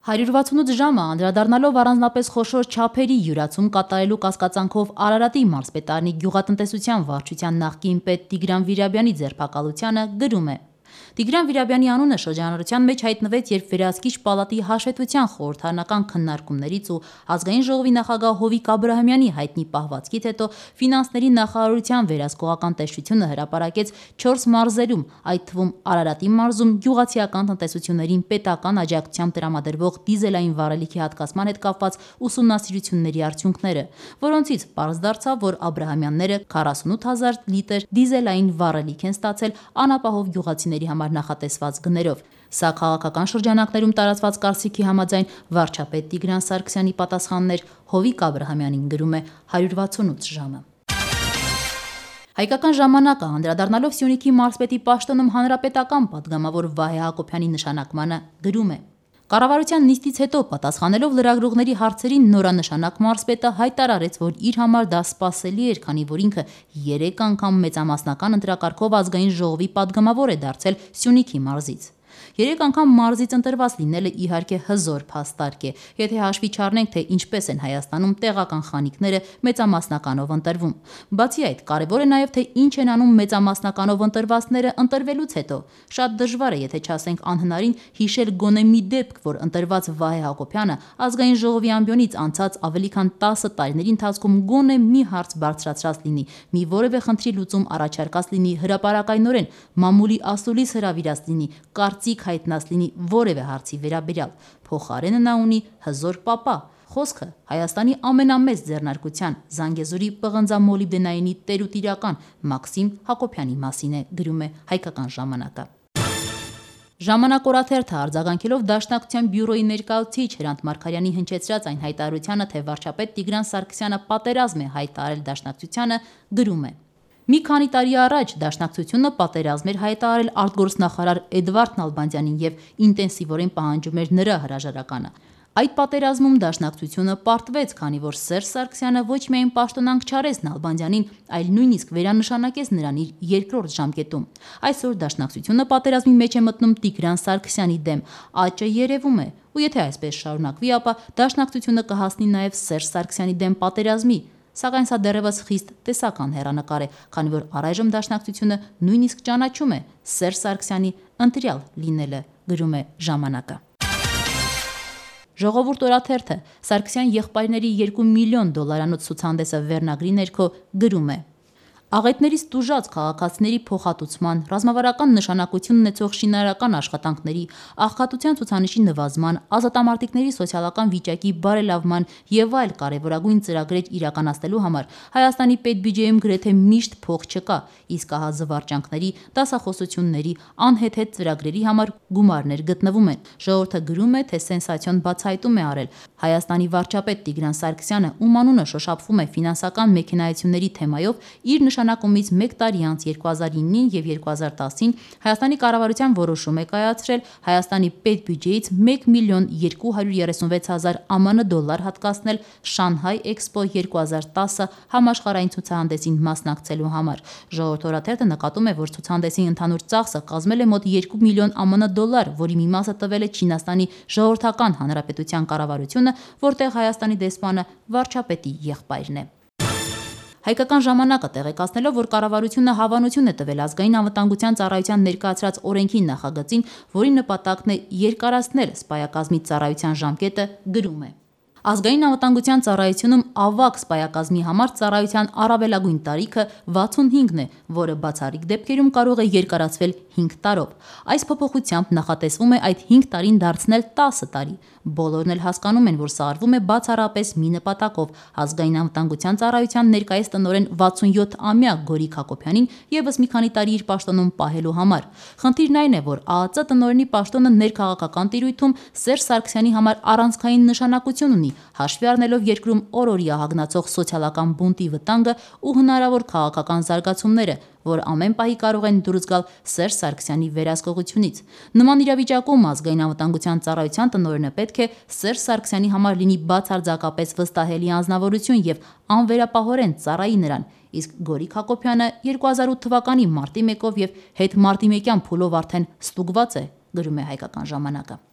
168 ժամը անդրադառնալով առանձնապես խոշոր չափերի յուրացում կատարելու կասկածանքով Արարատի մարզպետարանի գյուղատնտեսության վարչության նախկին պետ Տիգրան Վիրաբյանի ձերբակալությանը գրում է. Տիգրան Վիրաբյանի անունը շրջանառության մեջ հայտնվեց, երբ Վերահսկիչ պալատի հաշվետվության խորհրդարանական քննարկումներից ու Ազգային ժողովի նախագահ Հովիկ Աբրահամյանի հայտնի պահվածքից հետո ֆինանսների նախարարության վերահսկողական տեսչությունը հրապարակեց 4 մարզերում, այդ թվում Արարատի մարզում գյուղացիական տնտեսություններին պետական աջակցությամբ տրամադրվող դիզելային վառելիքի հատկացման հետ կապված ուսումնասիրությունների արդյունքները, որոնցից պարզ դարձավ, որ Աբրահամյանները 48,000 լիտր դիզելային վառելիք են ստացել անապահով գյուղացիների համար նախատեսված գներով։ Սա քաղաքական շրջանակներում տարածված կարծիքի համաձայն վարչապետ Տիգրան Սարգսյանի պատասխաններ Հովիկ Աբրահամյանին, գրում է 168 ժամը։ Հայկական ժամանակը անդրադառնալով Սյունիքի մարզպետի պաշտոնում հանրապետական պատգամավոր Վահե Հակոբյանի նշանակմանը, գրում է. Կառավարության նիստից հետո պատասխանելով լրագրողների հարցերին նորանշանակ մարզպետը հայտարարեց, որ իր համար դա սպասելի էր, քանի որ ինքը 3 անգամ մեծամասնական ընտրակարգով Ազգային ժողովի պատգամավոր է դարձել Սյունիքի մարզից։ 3 անգամ մարզից ընտրված լինելը իհարկե հզոր փաստարկ է, եթե հաշվի չառնենք, թե ինչպես են Հայաստանում տեղական խանիկները մեծամասնականով ընտրվում։ Բացի այդ, կարևոր է նաև, թե ինչ են անում մեծամասնականով ընտրվածները ընտրվելուց հետո։ Շատ դժվար է, եթե չասենք անհնարին, հիշել գոնե մի դեպք, որ ընտրված Վահե Հակոբյանը Ազգային ժողովի ամբիոնից անցած ավելի քան 10 տարիների ընթացքում գոնե մի հարց բարձրացրած լինի, մի որևէ խնդրի լուծում առաջարկած լինի հրապարակայնորեն, մամուլի ասուլիս հրավիրած լինի, կարծիք հայտնած լինի որևէ հարցի վերաբերյալ։ Փոխարենը նա ունի հզոր պապա։ Խոսքը Հայաստանի ամենամեծ ձեռնարկության Զանգեզուրի պղնձամոլիբդենայինի տերուտիրական Մաքսիմ Հակոբյանի մասին է, գրում է Հայկական ժամանակը։ Ժամանակ օրաթերթը արձագանքելով Դաշնակցության բյուրոյի ներկայացուցիչ Հրանտ Մարգարյանի հնչեցրած այն հայտարարությանը, թե վարչապետ Տիգրան Սարգսյանը պատերազմ է հայտարարել Դաշնակցությանը, գրում է. Մի քանի տարի առաջ Դաշնակցությունը պատերազմ էր հայտարարել արտգործնախարար Էդվարդ Նալբանդյանին եւ ինտենսիվորեն պահանջում էր նրա հրաժարականը։ Այդ պատերազմում Դաշնակցությունը պարտվեց, քանի որ Սերժ Սարգսյանը ոչ միայն պաշտոնանկ չարեց Նալբանդյանին, այլ նույնիսկ վերանշանակեց նրան իր երկրորդ ժամկետում։ Այսօր Դաշնակցությունը պատերազմի մեջ է մտնում Տիգրան Սարգսյանի դեմ, աճը երևում է, ու եթե այսպես շարունակվի, ապա Դաշնակցությունը կհասնի նաև Սերժ Սարգսյանի դեմ պատերազմի։ Սակայն սա դեռևս խիստ տեսական հեռանկար է, քանի որ առայժմ Դաշնակցությունը նույնիսկ ճանաչում է Սերժ Սարգսյանի ընտրյալ լինելը, գրում է ժամանակը։ Ժողովուրդ օրաթերթը Սարգսյան եղբայրների $2 միլիոն ցուցահանդեսը վերնագրի ներքո գրում է. Աղետներից տուժած քաղաքացիների փոխհատուցման, ռազմավարական նշանակություն ունեցող շինարարական աշխատանքների, աղքատության ցուցանիշի նվազման, ազատամարտիկների սոցիալական վիճակի բարելավման եւ այլ կարեւորագույն ծրագրեր իրականացնելու համար Հայաստանի պետբյուջեում գրեթե միշտ փող չկա, իսկ ահա զվարճանքների, դասախոսությունների, անհեթեթ ծրագրերի համար գումարներ գտնվում են։ Ժողովուրդը գրում է, թե սենսացիոն բացահայտում է արել Հայաստանի վարչապետ Տիգրան Սարգսյանը, ում անունը շոշափվում է ֆինանսական մեքենայությունների թեմայով, իր նշանակումից 1 տարի անց 2009-ին եւ 2010-ին Հայաստանի կառավարության որոշում է կայացրել Հայաստանի պետբյուջեից $1 միլիոն 236 հազար ԱՄՆ դոլար հատկացնել Շանհայ Էքսպո 2010 համաշխարհային ցուցահանդեսին մասնակցելու համար։ Ժողովուրդ օրաթերթը նկատում է, որ ցուցահանդեսի ընդհանուր ծախսը կազմել է մոտ $2 միլիոն ԱՄՆ դոլար, որի մի մասը տվել է Չինաստանի Ժողովրդական Հանրապետության կառավարությունը, որտեղ Հայաստանի դեսպանը վարչապետի եղբայրն է։ Հայկական ժամանակը տեղեկացնելով, որ կառավարությունը հավանություն է տվել ազգային անվտանգության ծառայության ներկայացրած օրենքի նախագծին, որի նպատակն է երկարացնել սպայակազմի ծառայության ժամկետը, գրում է. Ազգային անվտանգության ծառայությունում ավագ սպայակազմի համար ծառայության առավելագույն տարիքը 65-ն է, որը բացառիկ դեպքերում կարող է երկարացվել 5 տարով։ Այս փոփոխությամբ նախատեսվում է այդ 5 տարին դարձնել 10 տարի։ Բոլորն էլ հասկանում են, որ սա արվում է բացառապես մի նպատակով՝ ազգային անվտանգության ծառայության ներկայիս տնօրեն 67-ամյա Գորիկ Հակոբյանին եւս մի քանի տարի իր պաշտոնում պահելու համար։ Խնդիրն այն է, որ ԱԱԾ տնօրենի պաշտոնը ներքաղաքական տիրույթում Սերժ Սարգսյանի համար առանցքային նշանակություն ունի, հաշվի առնելով երկրում օրօրյա հագնացող սոցիալական բունտի վտանգը ու հնարավոր քաղաքական զարգացումները, որ ամեն պահի կարող են դուրս գալ Սերժ Սարգսյանի վերահսկողությունից։ Նման իրավիճակում ազգային անվտանգության ծառայության տնօրենը պետք է Սերժ Սարգսյանի համար լինի բացարձակապես վստահելի անձնավորություն եւ անվերապահորեն ծառայի նրան, իսկ Գորիկ Հակոբյանը 2008 թվականի մարտի 1-ով եւ հետմարտի 1-յան փուլով արդեն ստուգված է, գրում է Հայկական ժամանակը։